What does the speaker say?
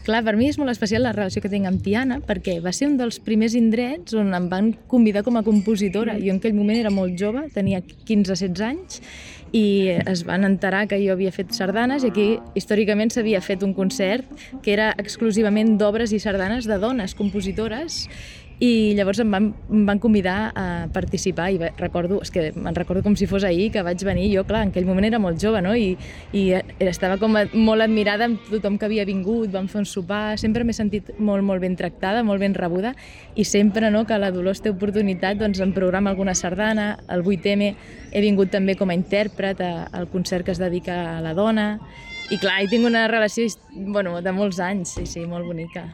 Clar, per mi és molt especial la relació que tinc amb Tiana, perquè va ser un dels primers indrets on em van convidar com a compositora. Jo en aquell moment era molt jove, tenia 15-16 anys, i es van enterar que jo havia fet sardanes, i aquí històricament s'havia fet un concert que era exclusivament d'obres i sardanes de dones compositores, i llavors em van convidar a participar, i me'n recordo com si fos ahir que vaig venir. Jo, clar, en aquell moment era molt jove, no? I estava com molt admirada amb tothom que havia vingut, vam fer un sopar, sempre m'he sentit molt, molt ben tractada, molt ben rebuda, i sempre, no, que la Dolors té oportunitat, doncs em programa alguna sardana. El 8M he vingut també com a intèrpret al concert que es dedica a la dona, i clar, hi tinc una relació, bueno, de molts anys, sí, molt bonica.